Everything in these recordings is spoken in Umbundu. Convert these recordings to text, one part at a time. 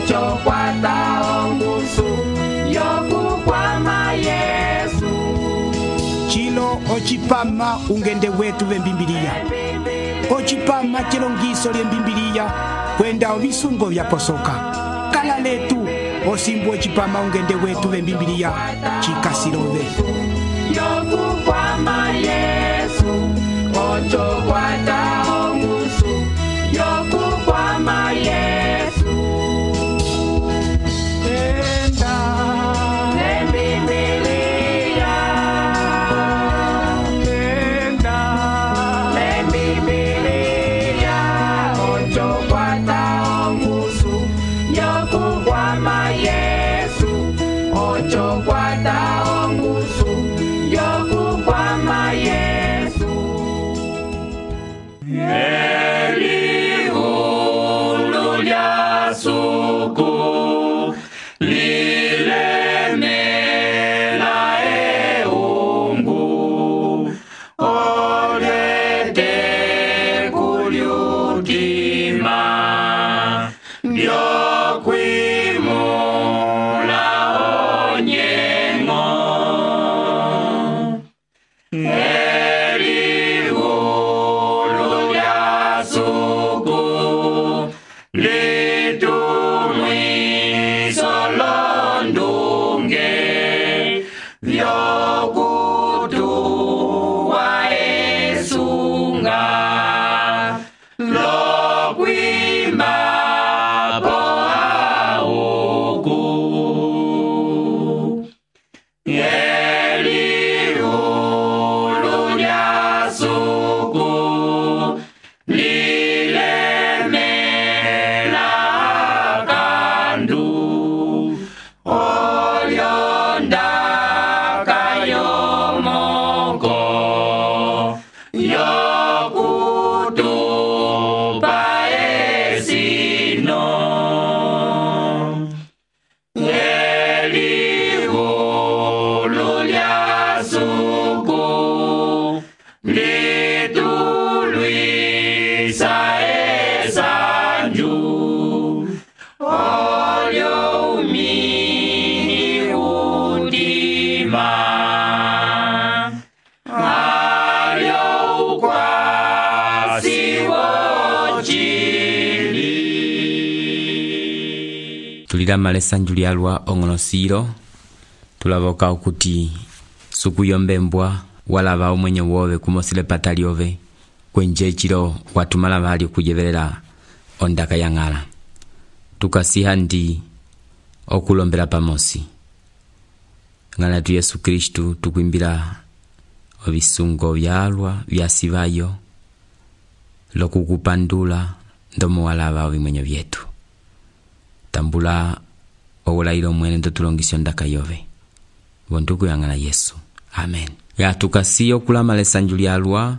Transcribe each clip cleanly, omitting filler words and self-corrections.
ocho kwata ongusu yokukwama Yesu. Chilo ochipama ungende wetu vembimbiliya. Ochipama chilongiso lyembimbiliya kwenda ovisungo vyaposoka. Kala letu osimbu ochipama ungende wetu vembimbiliya chikasilove. Yokukwama Yesu, ocho kwata ongusu yokukwama Yesu. Enda lembimbiliya, enda lembimbiliya, ocho kwata ongusu yokukwama Yesu, ocho kwata ongusu yokukwama Yesu. Elihulu lya suku lilemela eungu olete kulyutima lyokwimula onyengo. Elihulu lya suku litumwiso londunge vyokutuwa esunga lokwima po auku. Elihulu lya suku lilemela kandu olyondaka yomoko yokutupa esino. Elihulu lya suku litulwisa esanju olyo umini udima alyo ukwasi wochili. Tulilama esanju lyalwa ong'onosilo tulavoka okuti sukuyombembwa walava omwenye wove kumosile pata lyove kwenje chilo watumala vali okujevelela ondaka ya ng'ala. Tukasiha ndi okulombela pamosi ng'ala tu Yesu Kristu tukwimbila ovisungo vyalwa vyasivayo lokukupandula ndomo walava ovimwenyo vyetu. Tambula owulailo mwene ndotulongisi ondaka yove vonduku ya ng'ala Yesu. Amen. Ya tukasi okulama lesanju lyalwa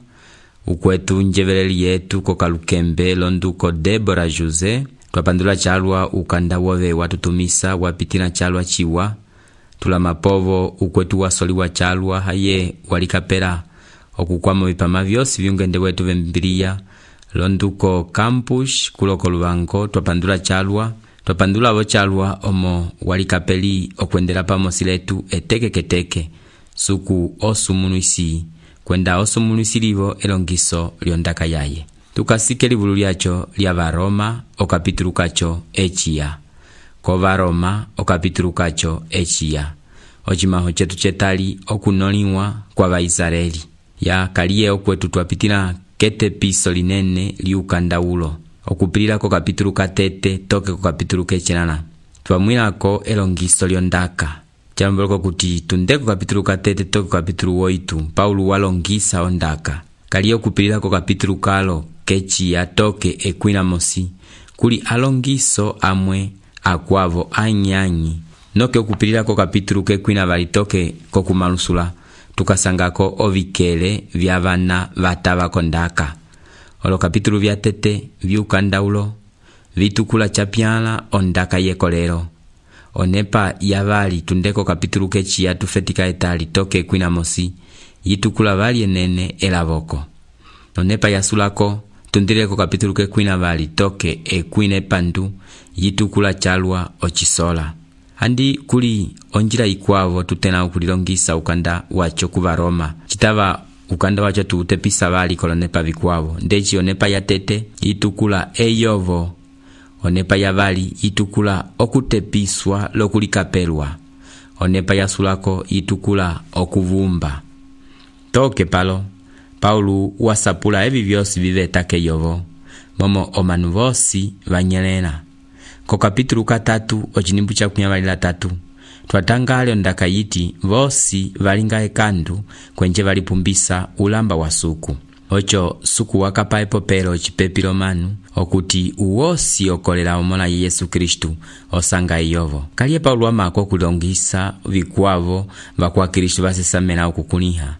ukwetu njeveleli yetu kokalukembe londuko Debora Jose twapandula chalwa ukanda wove watutumisa wapitila chalwa chiwa tulama povo ukwetu wasoliwa chalwa haye walikapela okukwama vipama vyosi viungende wetu vembiriya londuko Campus kuloko Lubango twapandula chalwa twapandula vo chalwa omo walikapeli okwendela pamosi letu etekeketeke suku osumunuisi kwenda osumunuisi livo elongiso lyondaka yaye. Tukasike livulu lyacho lya Varoma okapitulu kacho echiya. Ko Varoma okapitulu kacho echiya. Ochimaho chetu chetali okunoliwa kwa Vaisraeli. Ya kaliye okwetu twapitila kete piso linene liukandaulo. Okupilila ko kapitulu katete toke ko kapitulu kechenana. Twamwilako elongiso lyondaka. Chamboloko kuti tundeko kapitulu katete toke kapitulu woitu Paulo walongisa ondaka. Kaliye okupilila ko kapitulu kalo kechiya toke ekwinamosi kuli alongiso amwe akwavo anyanyi noke okupilila ko kapitulu kekwina valitoke kokumalusula tukasangako ovikele vya vana vatava kondaka. Olo kapitulu vya tete viukandaulo vitukula chapyala ondaka yekolero. Onepa yavali tundeko kapitulu kechiya tufetika etali toke ekwinamosi yitukula vali enene elavoko. Onepa yasulako tundireko kapitulu kekwina vali toke ekwina epandu yitukula chalwa ocisola. Andi kuli onjila ikwavo tutena ukulilongisa ukanda wacho kuva Roma. Chitava ukanda wacho tuutepisa vali kolonepa vikwavo. Ndechi onepa ya tete yitukula eyovo. Onepa ya vali yitukula okutepiswa lokulikapelwa. Onepa ya sulako yitukula okuvumba. Toke palo, Paulu wasapula evi vyosi vivetake yovo. Momo omanu vosi vanyelena. Ko kapitulu 3 ochinimbu cha 13 twatangale ondaka yiti vosi valinga ekandu kwenje valipumbisa ulamba wa suku. Ocho suku wakapa epopelo ochipepilo manu okuti uwosi okolela omola Yesu Kristu osanga iyovo. Kaliye Paulu wamako kulongisa vikwavo vakwa Kristu vasesamela okukuniha.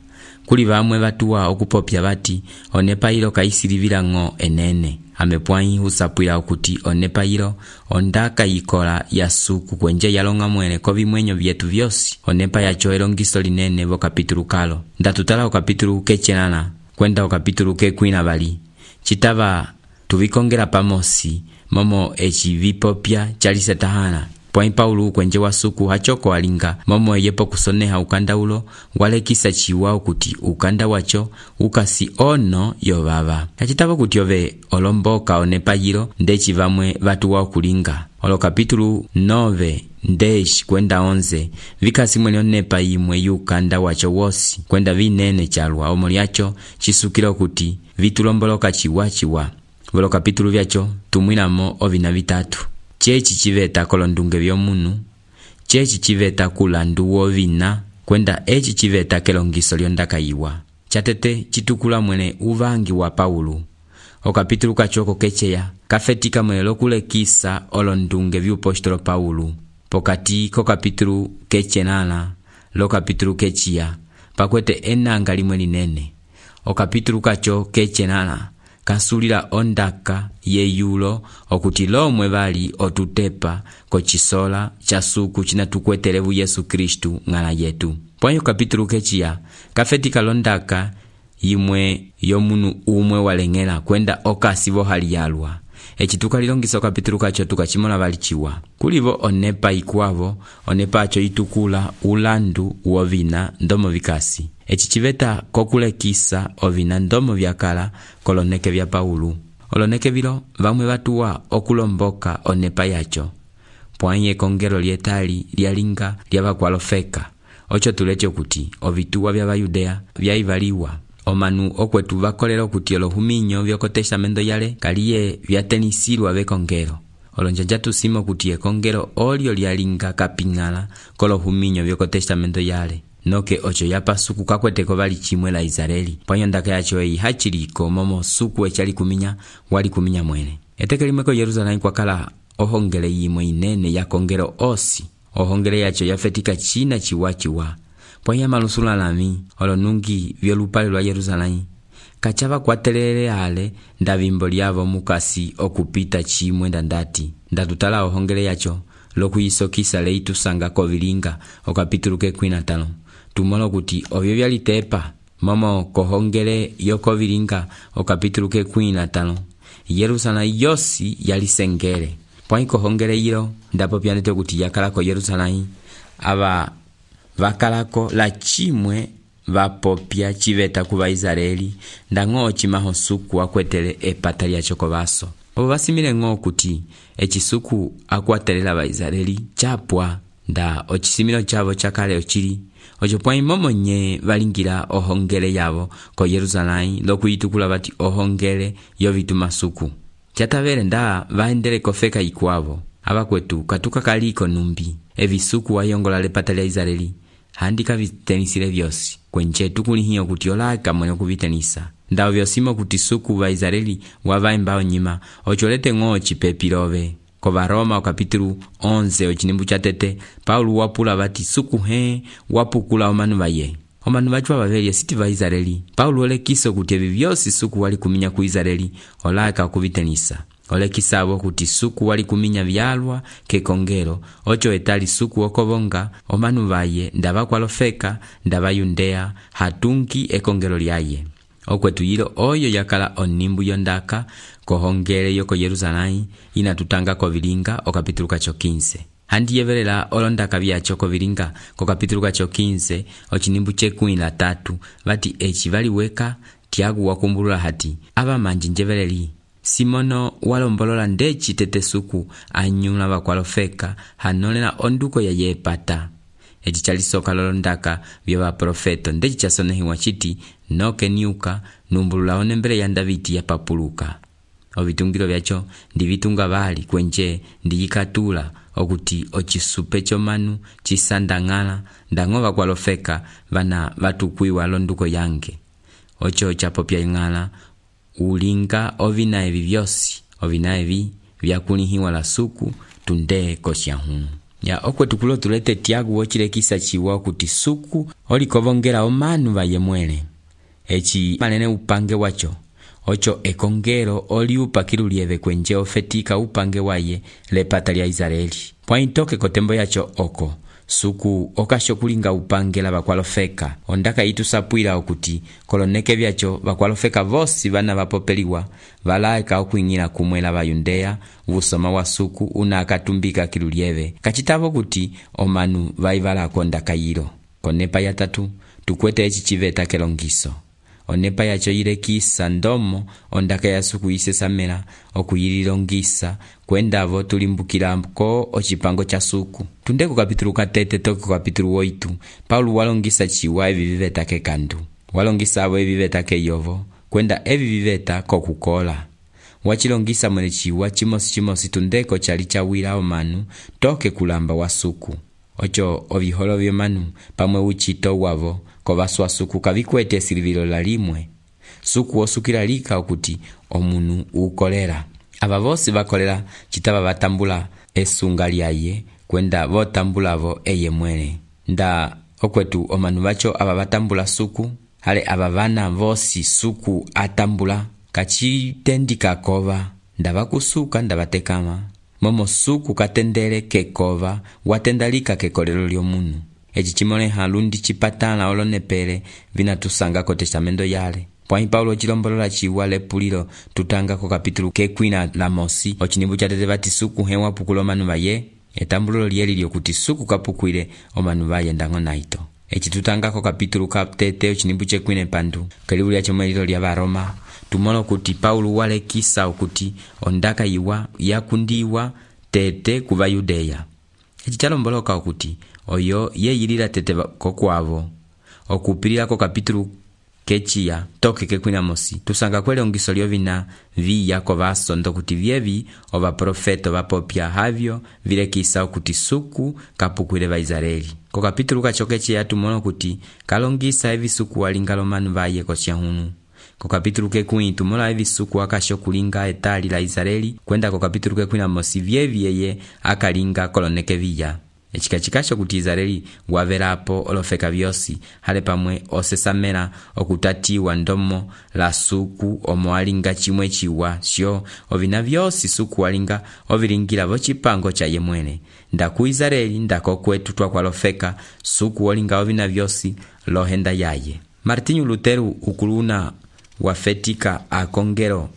Kuli vamwe vatuwa okupopya vati onepa ilo kaisilivila ng'o enene. Amepwanyi usapwila okuti onepa ilo ondaka yikola ya suku kwenje yalonga mwele ko vimwenyo vyetu vyosi. Onepa yacho elongiso linene vo kapitulu kalo. Ndatutala o kapitulu kechenana kwenda o kapitulu kekwina vali. Chitava tuvikongela pamosi momo echi vipopya chalisetahana. Pwai Paulu kwenje wa suku hachoko alinga momo yepo kusoneha ukanda ulo walekisa chiwa ukuti ukanda wacho ukasi ono yovava. Hachitava kuti ove olomboka onepa yilo ndechi vamwe vatu wa kulinga. Olo kapitulu 9 ndechi kwenda 11 vikasi mwene onepa imwe yukanda wacho wosi kwenda vinene chalwa omoli yacho chisukilo kuti vitulomboloka chiwa. Volo kapitulu vyacho tumwinamo ovina vitatu. Chechi chiveta kolondunge vyomunu, chechi chiveta kulandu wovina, kwenda echi chiveta kelongiso lyondaka iwa. Chatete chitukula mwene uvangi wa Paulu. O kapitulu kachoko kecheya, kafetika mwene lokulekisa olondunge vyupostolo Paulu. Pokati ko kapitulu kechenana, lo kapitulu kechiya, pakwete enanga limwe linene. O kapitulu kacho kechenana, kasulila ondaka yeyulo okuti lomwe vali otutepa kochisola cha suku chinatukwetelevu Yesu Kristu ng'ala yetu. Pwanyo kapitulu kechiya kafetika londaka yimwe yomunu umwe walengela kwenda okasivo hali yalwa. Echituka lilongisa kapitulu kacho tukachimona vali chiwa. Kulivo onepa ikwavo, onepa acho itukula ulandu wovina ndomo vikasi. Echi chiveta kokulekisa ovina ndomo vyakala koloneke vya Paulu. Oloneke vilo vamwe vatuwa okulomboka onepa yacho. Pwanye kongelo lietali lialinga lyavakwalofeka. Ocho tulecho kuti ovituwa vya Yudea vyaivaliwa. Omanu okwetu vakolera okuti olohuminyo vyoko testamento yale kaliye vyatenisilwa vekongelo. Olonjanja tusimo kuti ekongelo olio lialinga kapingala kolohuminyo vyoko testamento yale. Noke ocho yapa suku kakweteko vali chimwe la Israeli. Pwanyo ndaka yacho hachiliko momo suku echali kuminya wali kuminya mwene. Etekelimeko Yerusalemu kwa kala ohongele yimwe inene ya kongelo osi. Ohongele yacho yafetika china chiwa. Pwanya malusula lami olonungi vyolupale lwa Yerusalemu. Kachava kwatelele ale ndavimbo lyavo mukasi okupita chimwe ndandati. Ndatutala ohongele yacho lokuyisokisa leitusanga kovilinga o kapitulu kekwina 5. Tumolo kuti ovyo vyalitepa momo kohongele yokovilinga o kapitulu kekwina 5. Yerusalemu yosi yalisengele. Pwai kohongele yilo ndapo pyanete kuti yakalako Yerusalemu ava vakalako la chimwe vapopya chiveta kuva Israeli ndang'o chimaho suku akwetele epata lyacho kovaso. Obo vasimile ng'o kuti echisuku akwatelela va Israeli chapwa nda ochisimilo chavo chakale ochili. Ocho pwai momonye valingira ohongele yavo ko Yerusalemu lokuyitukula vati ohongele yovituma suku. Chatavele nda vaendele kofeka ikwavo. Abakwetu katuka kaliko numbi. Evisuku wayongola lepata lya Israeli. Handika vitenisile vyosi. Kwenche tukulihiyo kuti olaka mwene kuvitenisa. Ndao vyosimo kuti suku va Israeli wavaembao nyima. Ocholete ng'o chipepilove. Kova Roma o kapitulu 11 ochinimbu chatete. Paulu wapula vati suku wapukula omanu vaye. Omanu vachwa vavelye siti va Israeli. Paulu ole kiso kuti evi vyosi suku wali kuminya ku Israeli. Olaka kuvitenisa. Ole kisabo kuti suku wali kuminya vyalwa kekongero. Ocho etali suku okobonga omanu vaye ndava kwalofeka ndava Yudea hatunki ekongero lyaye. okwetu yilo oyo yakala onimbu yondaka kohongele yoko Yerusalém inatutanga kovilinga okapitulu kacho 15. Handi yevelela olondaka vyacho kovilinga kokapitulu kacho 15 ochinimbu chekumi na tatu vati eci valiweka Tiago wakumbulula hati ava manji njeveleli Simono walombolola ndeci tete suku anyula vakwalofeka hanolela onduko ya yepata. Eci chalisoka lolondaka vya vaprofeto ndeci chasonehiwa chiti noke niuka numbulula onembele ya Davidi ya papuluka. Ovitungilo vyacho ndivitunga vali kwenje ndiyikatula okuti ochisupe chomanu chisandangala ndangova kwalofeka vana vatukwiwa londuko yange. Ocho chapopya ingala ulinga ovina evi vyosi ovina evi vyakulihiwa la suku tunde kosyahu. Ya okwetu kulo tulete Tiago wochilekisa chiwa okuti suku olikovongela omanu vayemwele. Eci manene upange wacho ocho ekongero oli upakilu lieve kwenje ofetika upange waye lepata lya Israeli. Pointoke kotembo yacho oko suku okasho kulinga upangela vakwalofeka ondaka itusapwila okuti koloneke vyacho vakwalofeka vosi vana vapopeliwa valaeka okuingila kumwela vayundeya vusoma wa suku una akatumbika kilulieve kachitavo kuti omanu vaivalako ondaka yilo. Konepa ya tatu tukwete eci chiveta kelongiso. Onepa yacho yilekisa ndomo ondaka ya suku isesamela okuyililongisa kwendavo tulimbukilako ochipango cha suku. Tunde ku kapitulu katete toke ku kapitulu 8 Paulo walongisa chiwa evi viveta kekandu. Walongisa avo evi viveta keyovo kwenda evi viveta kokukola. Wachilongisa mwele chiwa chimosi tundeko chali chawila omanu toke kulamba wa suku. Ocho oviholo vyomanu pamwe uchito wavo kovaswa suku kavikwete silivilo la limwe. Suku osukila lika okuti omunu ukolera. Ava vosi vakolera chitava vatambula esunga lyaye kwenda votambulavo eye mwele. Nda okwetu omanu vacho ava vatambula suku hale ava vana vosi suku atambula kachitendika kova ndavakusuka ndavatekama. Momo suku katendele kekova watendalika kekolelo lyomunu. Eci chimole halundi chipatala olonepele vinatusanga ko testamento yale. Pwani Paulo chilombolola chiwa lepulilo tutanga ko kapitulu kekwina la mosi ochinimbu chatete vati suku hewa pukulo manu vaye etambululo lyeli lyokuti suku kapukwile omanu vaye ndango naito. Eci tutanga ko kapitulu kaptete ochinimbu chekwine pandu kelibu lya chomwelilo lya Varoma tumolo kuti Paulo walekisa okuti ondaka yiwa yakundiwa tete kuva Yudeya. Eci chalomboloka okuti oyo yeyilila tete kokwavo okupilila ko kapitulu kechiya toke kekwina mosi tusanga kwele ongiso lyovina viya kovasondo kuti vyevi ova profeto vapopya havyo vilekisa okuti suku kapukwile va Israeli. Ko kapitulu kachokechiya tumono kuti kalongisa evi suku walingalo manu vaye kosyahunu. Ko kapitulu kekwini tumola evi suku akasho kulinga etali la Israeli kwenda ko kapitulu kekwina mosi vyevi yeye akalinga koloneke viya. Echikachikasho kuti Israeli wavelapo olofeka vyosi hale pamwe osesamela okutatiwa ndomo la suku omoalinga chimwe chiwa sho ovina vyosi suku walinga ovilingila vochipango cha yemwene. Ndaku Israeli ndako kwetu twakwalofeka suku walinga ovina vyosi lohenda yaye. Martinho Lutero ukuluna wafetika akongero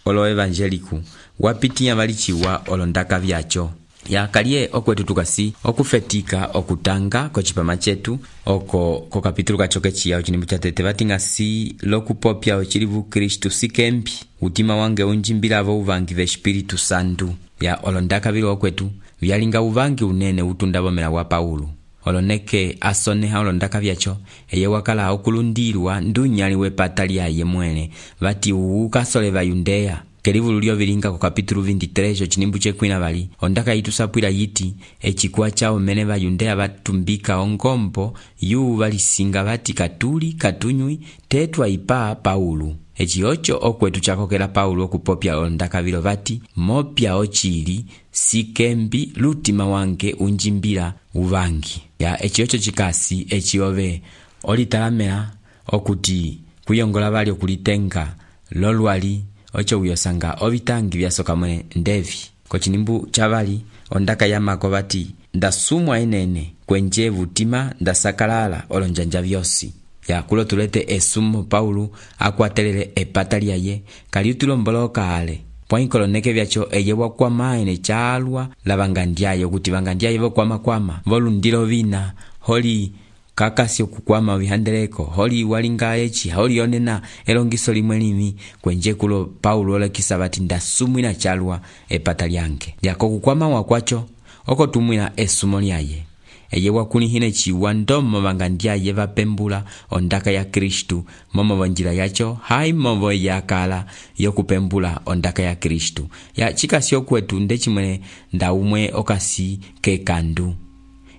olo evangeliku wapitia valichiwa olondaka vyacho. Ya kalie okwetu tukasi okufetika okutanga kochipama chetu oko ko kapitulu kachokechiya ochinimbu chatete vatinga si lokupopya ochilivu Kristu sikembi utima wange unjimbilavo uvangi ve Espiritu Santu. Ya olondaka vilo okwetu vyalinga uvangi unene utundavo mela wa Paulo. Oloneke asoneha olondaka vyacho eye wakala okulundirwa ndunyali wepata lyaye mwene vati ukasole va Yudeya. Kelivulu lyo vilinga ko kapitulu 23 ochinimbu chekwina vali ondaka itusapwila yiti echikuwa chao mene va Yudeya vatumbika ongombo yu valisinga vati katuli katunywi tetwa ipa Paulo. Echi ocho okwetu chakokela Paulo okupopya ondaka vilo vati mopya ochili sikembi lutima wange unjimbila uvangi. Ya echi ocho chikasi echi ove olitalamela okuti kuyongola vali okulitenga lolwali ocho uyosanga ovitangi vyasoka mwene ndevi. Kochinimbu chavali ondaka yamako vati ndasumwa enene kwenje vutima ndasakalala olonjanja vyosi. yakulo tulete esumo Paulo akwatelele epata lyaye kali tulomboloka ale pwainkoloneke vyacho eye wakwama ene chalwa la vangandyaye kuti vangandyaye vokwama volundilo vina holi kakasi okukwama vihandeleko holi walinga echi holi yonena elongiso limwe limi kwenje kulo Paulo olekisa vati ndasumwina chalwa epata lyange yako kukwama wakwacho oko tumwina esumo lyaye eye wakulihine chiwa ndomo vangandyaye vapembula ondaka ya Kristu momo vonjila yacho hai movo yakala yokupembula ondaka ya Kristu ya chikasi okwetu ndechimwene ndaumwe okasi kekandu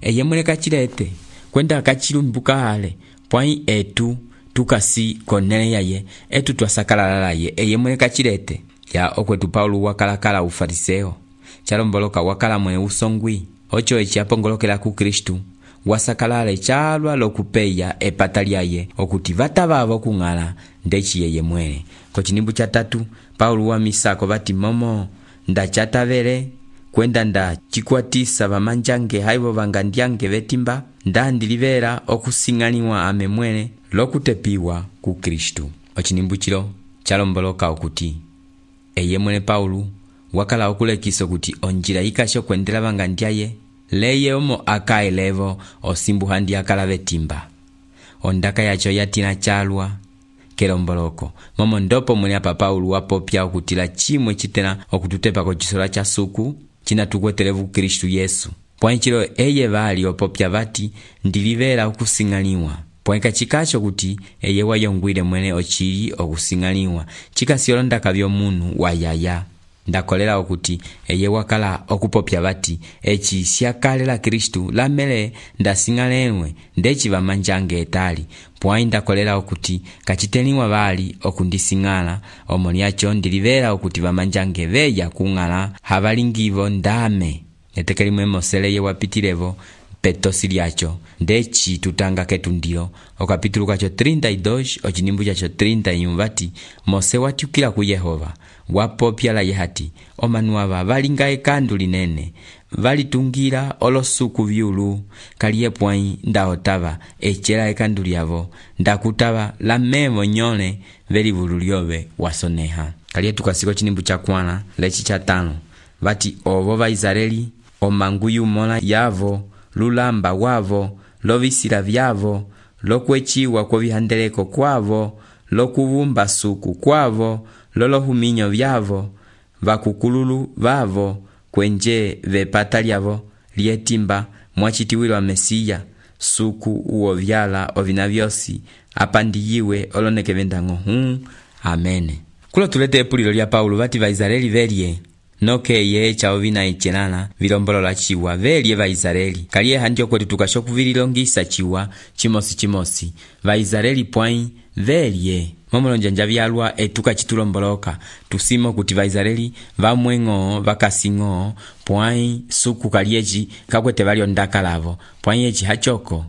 eye mwene kachilete kwenda kachilumbuka ale pwai etu tukasi konene yaye etu twasakalala ye eye mwene kachilete ya okwetu Paulo wakalakala ufariseo chalomboloka wakala mwene usongwi ocho echi apongolokela ku Kristu wasakalale chalwa lokupeya epata lyaye okuti vatavavo kung'ala ndechi yeye mwene kochinimbu cha 3 Paulo wa misako vati momo ndachatavele kwenda ndachikwatisa vamanjange haivo vangandyange vetimba ndandilivera okusing'aniwa ame mwene lokutepiwa ku Kristu ochinimbu chilo chalomboloka okuti eye mwene Paulo wakala okulekisa kuti onjila ikasho kwendela vangandyaye leye omo akaelevo osimbuhandi akala vetimba ondaka yacho yatina chalwa kelomboloko momo ndopo mwene apa Paulo wapopya okutila chimwe chitena okututepa kochisola cha suku china tukwetelevu Kristu Yesu pwanchilo eye vali opopya vati ndilivera okusing'aniwa pwenka chikacho kuti eye wayongwile mwene ochili okusing'aniwa chikasiolondaka vyomunu wayaya ndakolera okuti eye wakala okupopya vati echi siakalela Kristu lamele ndasing'alenwe ndechi vamanjange etali pwai ndakolera okuti kachiteniwa vali okundising'ala omoni yacho ndilivera okuti vamanjange veya kung'ala havalingivo ndame netekelimwe moseleye wapitilevo petosi lyacho ndechi tutanga ketu ndilo okapitulu kacho 32 ochinimbu chacho 30 vati Mose watyukila ku Yehova wapopya la yehati omanuava valinga ekandu linene valitungira olosuku vyulu kaliye pwai ndaotava echela ekandu lyavo ndakutava la mevo nyole velivulu lyove wasoneha kaliye tukasiko chinimbu cha kwana lechi cha 5 vati ovo va Israeli omanguyu mola yavo lulamba wavo lovisila vyavo lokwechiwa kwa vihandeleko kwavo lokuvumba suku kwavo lolohuminyo vyavo vakukululu vavo kwenje vepata lyavo lietimba mwachitiwilwa Mesiya suku uo vyala ovina vyosi apandiyiwe oloneke vendango amene kulo tulete epulilo lya Paulo vati va Israeli velye noke ye chao vina ichenana vilombolola chiwa velye va Israeli kaliye handio kwetu tukashokuvililongisa chiwa chimosi va Israeli pwai velye momolonjanja vyalwa etuka chitulomboloka tusimo kuti va Israeli vamweng'o vakasing'o pwai suku kaliechi kakwete valio ndaka lavo pwai echi hachoko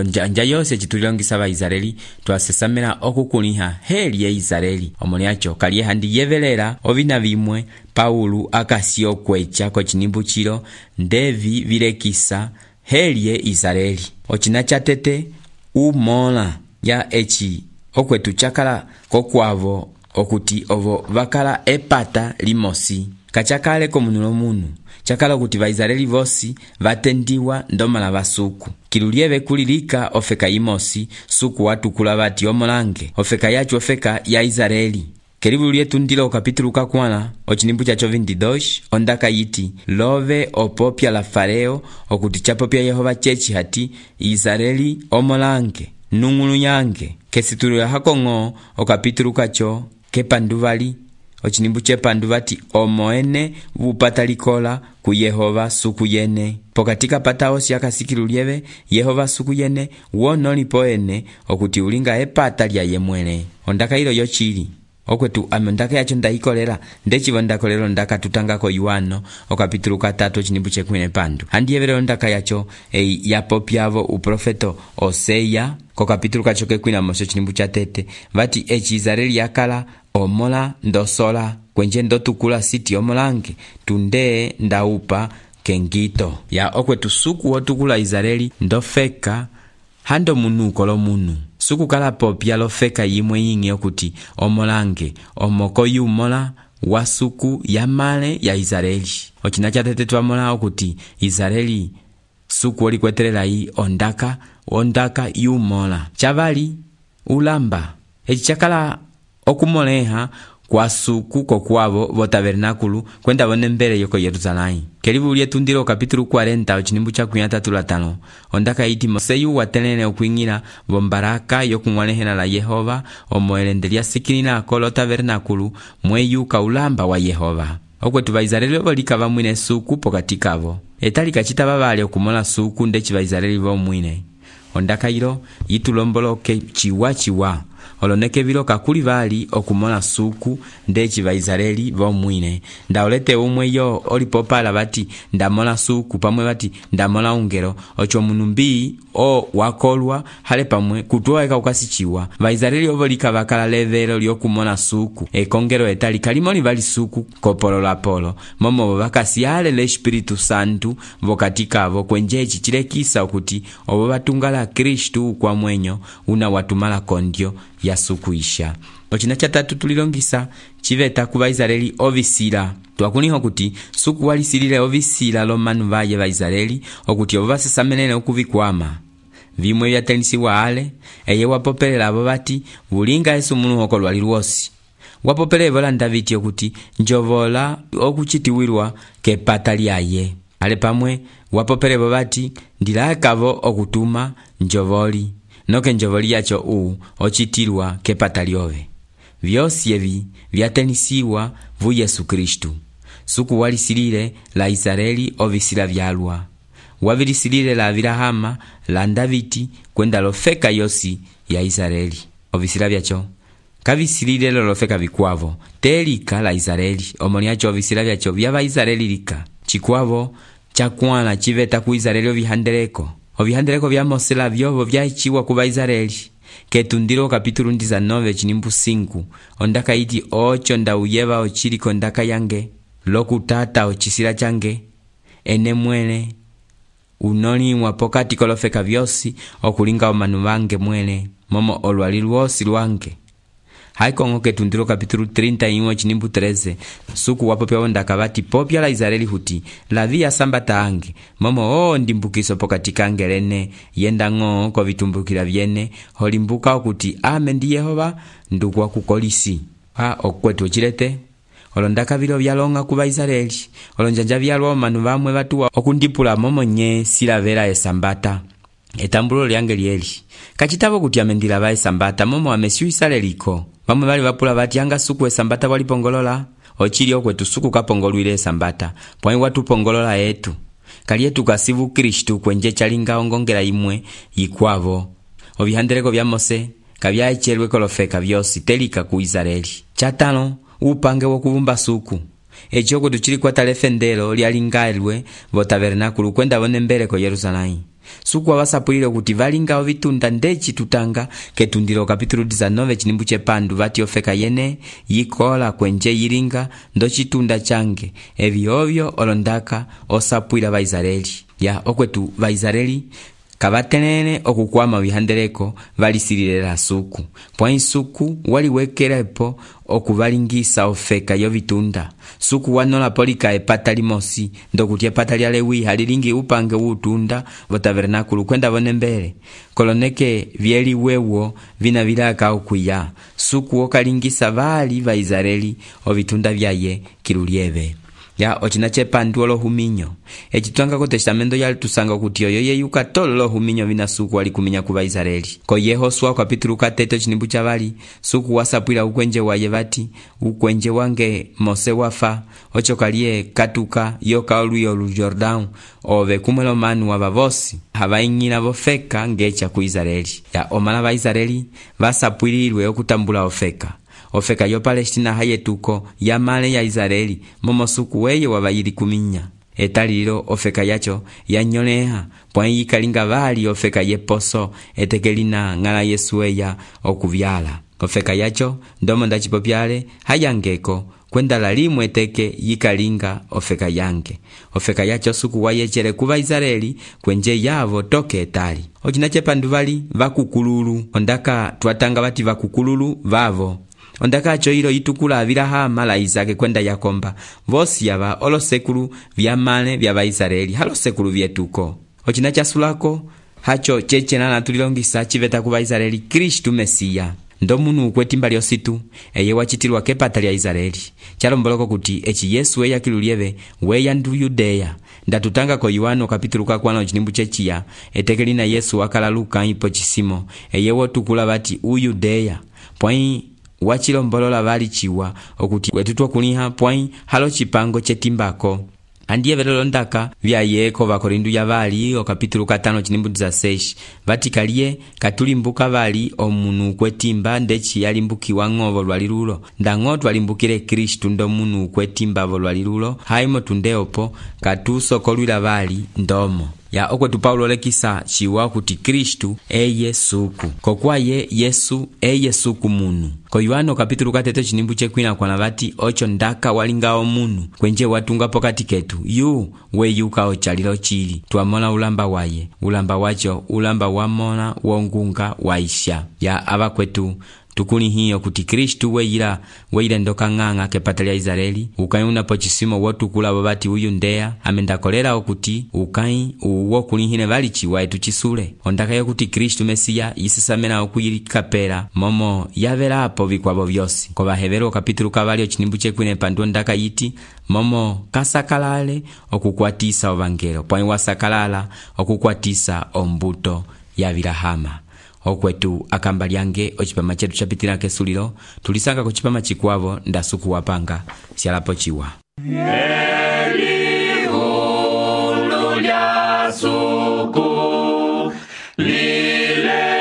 njanja yose chitulilongisa va Israeli twasesamela okukuliha heli ye Israeli omoni yacho kaliye handi yevelera ovina vimwe Paulo akasio kwecha kochinimbu chilo ndevi vilekisa heli ye Israeli ochina chatete umola ya echi okwetu chakala kokwavo okuti ovo vakala epata limosi kachakale komunulo munu chakala kuti va Israeli vosi vatendiwa ndomala vasuku kilulieve kulilika ofeka imosi suku watukula vati omolange ofeka yacho ofeka ya Israeli kelibu lietu ndilo kapitulu kakwana ochinimbu chacho 22 ondaka yiti love opopya la Fareo okuti chapopya Yehova chechi hati Israeli omolange nungulu yange kesitulu ya hakong'o okapitulu kacho kepanduvali ochinimbu chepanduvati omoene vupata likola ku Yehova suku yene pokatika patao siakasikilulieve Yehova suku yene wonoli poene okuti ulinga epata lya yemwele ondaka ilo yochili okwetu amondaka yacho ndaikolera ndechivo ndakolero ndaka tutangako Yohano okapitulu 3 chinimbu chekwine pandu handiyevele ondaka yacho yapopyavo uprofeto Oseya kokapitulu kacho kekwina moso chinimbu cha 3 vati echi Israeli yakala omola ndosola kwenje ndotukula siti omolange tunde ndaupa kengito ya okwetu suku wotukula Israeli ndofeka hando munuko lo munu suku kala popya lofeka yimwe ying'e okuti omolange omoko yumola wa suku ya male ya Israeli. Ochina chatete twamola okuti Israeli suku olikwetelelayi ondaka yumola chavali ulamba. Eci chakala okumoleha kwa suku kokwavo vo tabernáculo kwenda vone mbele yoko Yerusalém. Kelivu lyetundilo kapítulo 40 ochinimbu cha 35 ondaka iti Moseyu watelene okuing'ila vo mbaraka yokung'walehela la Yehova omoelende lyasikilila kolo tabernáculo mweyuka ulamba wa Yehova. Okwetu Vaisraeli volika vamwine suku pokati kavo. Etali kachita vavali okumola suku ndeci Vaisraeli vomwine. Ondaka ilo yitulomboloke chiwa oloneke vilo kakuli vali okumola suku ndeci Vaisraeli vomwine. Ndaolete umwe yo olipopala vati ndamola suku pamwe vati ndamola ungelo ocho munu mbii o wakolwa hale pamwe kutuwaeka ukasichiwa. Vaisraeli ovolika vakala levelo lyokumola suku ekongelo etali kalimoli vali suku kopolo la polo momo vakasiale le Espiritu Santu vokatikavo kwenjechi chilekisa okuti obo batungala Kristu kwa mwenyo una watumala kondyo ya suku isha. Ochina chatatu tulilongisa chiveta ku Vaisraeli ovisila. Twakuniho kuti suku walisilile ovisila lomanu vaye Vaisraeli okuti obo vasesamenene okuvikwama. Vimwe vyatenisiwa ale eye wapopelela abo bati bulinga Yesu munu oko lwali lwosi. Wapopele volanda viti okuti njovola okuchitiwirwa kepata lyaye. Ale pamwe wapopele bobati ndilakavo okutuma njovoli. Noke njovoli yacho ochitilwa kepata lyove. Vyosi evi vyatenisiwa vu Yesu Kristu. Suku walisilile la Israeli ovisila vyalwa. Wavilisilile la Abrahama la Davidi kwenda lofeka yosi ya Israeli. Ovisila vyacho kavisilile lofeka vikwavo telika la Israeli. Omoniacho ovisila vyacho vyava Israeli lika. Chikwavo chakwala chiveta ku Israeli ovihandeleko. Ovihandeleko vya Mose la vyovo vyaichiwa ku Vaisraeli. Ketundilo kapítulo 19 chinimbu 5 ondaka iti ocho ndauyeva ochiliko ndaka yange lokutata ochisila change ene mwene unoliwa pokati kolofeka vyosi okulinga omanu vange mwene momo olwali lwosi lwange. Haikongo ketundilo kapítulo 31 chinimbu 13 suku wapopya ondaka vati popya la Israeli huti la via sambata ange momo ndimbukiso pokati kange lene yenda ng'o ko vitumbukila vyene holimbuka okuti ame ndi Yehova ndukwa kukolisi. Okwetu ochilete olondaka vilo vyalonga ku Vaisraeli olonjanja vyalwa omanu vamwe vatuwa okundipula momo nye silavela esambata. Etambulo lyange lyeli kachitavo kuti amendila va esambata momo amesiu isaleliko. Vamwe vali vapula vati anga suku esambata walipongolola ochili okwetu suku kapongolwile esambata pwai watupongolola etu kali etu kasivu Kristu kwenje chalinga ongongela imwe yikwavo. Ovihandeleko vya Mose kavyaicherwe kolofeka vyosi telika ku Israeli. Chatano upange wokuvumba suku echi okwetu chili kwa talefendelo lyalingalwe vo tabernáculo kwenda vone mbele ko Yerusalém. Suku wavasapulile kuti valinga ovitunda ndeci tutanga ketundilo kapítulo 19 chinimbu chepandu vati ofeka yene yikola kwenje yilinga ndo chitunda change evi ovyo olondaka osapwila Vaisraeli. Ya okwetu Vaisraeli kavatenene okukwama vihandeleko valisilile la suku pwai suku waliwekelepo okuvalingisa ofeka yovitunda. Suku wanola polika epata limosi ndokuti epata lya Lewi halilingi upange utunda vo tabernáculo kwenda vone mbele koloneke vyeli wewo vina vilaka okuya. Suku wokalingisa vali Vaisraeli ovitunda vyaye kilulieve. Ya ochina chepandu olohuminyo echitwanga ko testamento yali tusanga kuti oyo yeyuka tolo lohuminyo vina suku wali kuminya ku Vaisraeli. Ko Yehosua kapítulo 4 chinimbu chavali suku wasapwila ukwenje waye vati ukwenje wange Mose wafa ocho kalie katuka yoka oluyo lu Jordan ove kumwelo manu wavavosi havaing'ila vofeka ngecha ku Israeli. Ya omala Vaisraeli vasapwililwe okutambula ofeka yo Palestina hayetuko ya male ya Israeli momo suku weye wavayili kuminya. Etalilo ofeka yacho yanyoleha pwai yikalinga vali ofeka yeposo etekelina ngala Yesu eya okuvyala. Ofeka yacho ndomo ndachipopyale hayangeko kwenda lalimwe teke yikalinga ofeka yange. Ofeka yacho suku wayechere ku Vaisraeli kwenje yavo toke etali. Ocina cepandu vali vakukululu, ondaka twatanga vati vakukululu vavo. Ondaka acho ilo itukula Abilahama la Isake kwenda Yakomba, vosi yava olosekulu vyamane vya Vaisraeli halosekulu vyetuko. Ocina chasulako hacho chechena natulilongisa chiveta ku Vaisraeli Kristu Mesiya. Ndo munu ukwetimba lyositu eye wachitilwa kepata lya Israeli. Chalomboloko kuti echi Yesu eya kilulieve weya ndu Yudeya. Ndatutanga ko Yohano kapitulu kakwano chinimbu chechiya etekelina Yesu wakala Luka ipo chisimo eye wotukula vati Uyudeya. Pwai wachilombolola vali chiwa okuti wetutwa kuliha pwai halo chipango chetimbako. Andiye velolo ndaka vya yeko vakorindu ya vali o kapitulu 5 chinimbu 16 vatikalie katulimbuka vali omunu kwetimba ndechi yalimbukiwa ng'ovo lwalilulo ndang'otu alimbukile Kristu ndo munu kwetimba vo lwalilulo haimo tundeopo katusokolwila vali ndomo ya okwetu Paulo lekisa chiwa kuti Kristu eye suku kokwaye Yesu eye suku munu. Ko Yohano kapitulu 3 chinimbu chekwina kwana vati ocho ndaka walingao munu kwenje watunga pokati ketu yu weyuka ochalilo chili tuamona ulamba waye ulamba wacho ulamba wamona wongunga waisha ya ava kwetu tukuni hiyo kuti Kristu weile ndoka ng'ang'a kepata lya Israeli ukayuna po chisimo wotukula babati uyu ndeya amendakolera okuti ukai uwo kulihine vali chiwa etu chisule ondaka yo kuti Kristu Mesiya yisisamena okuyikapera momo yavelapo vikwabo vyosi ko Bahebero kapitulu kavalio chinimbu chekwine pandu ndaka yiti momo kasakalale okukwatisa ovangelo pwai wasakalala okukwatisa ombuto ya Abilahama. Okwetu akamba lyange ochipama chetu chapitila kesulilo tulisanga kuchipama chikwavo ndasuku wapanga sialapo chiwa. Elihulu lya suku lilemela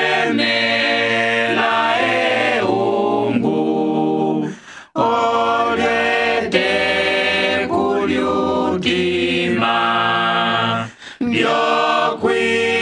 eungu olete kulyutima byokwimu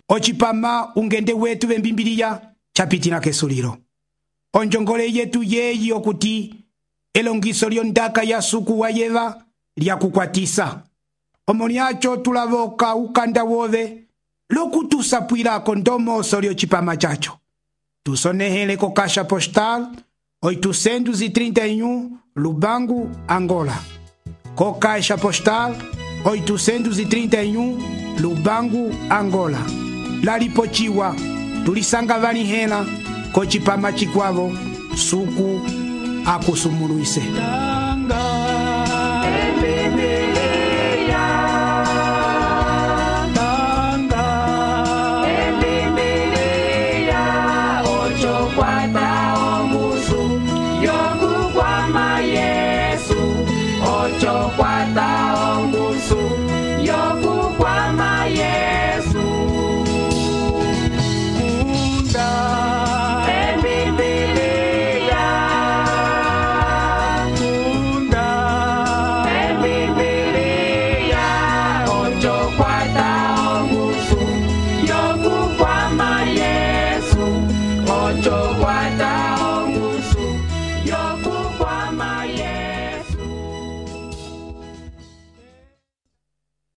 Ochipama ungende wetu vembimbiliya chapitila kesulilo. Onjongole yetu yeyi okuti elongiso lyondaka ya suku wayeva lya kukwatisa. Omoniacho tulavoka ukanda wove lokutusapwilako ndomoso lyochipama chacho. Tusonehele ko Caixa Postal 831 Lubangu, Angola. Ko Caixa Postal 831 Lubangu, Angola. Lalipochiwa tulisanga vani hena ko chipama chikwavo suku akusumuluise.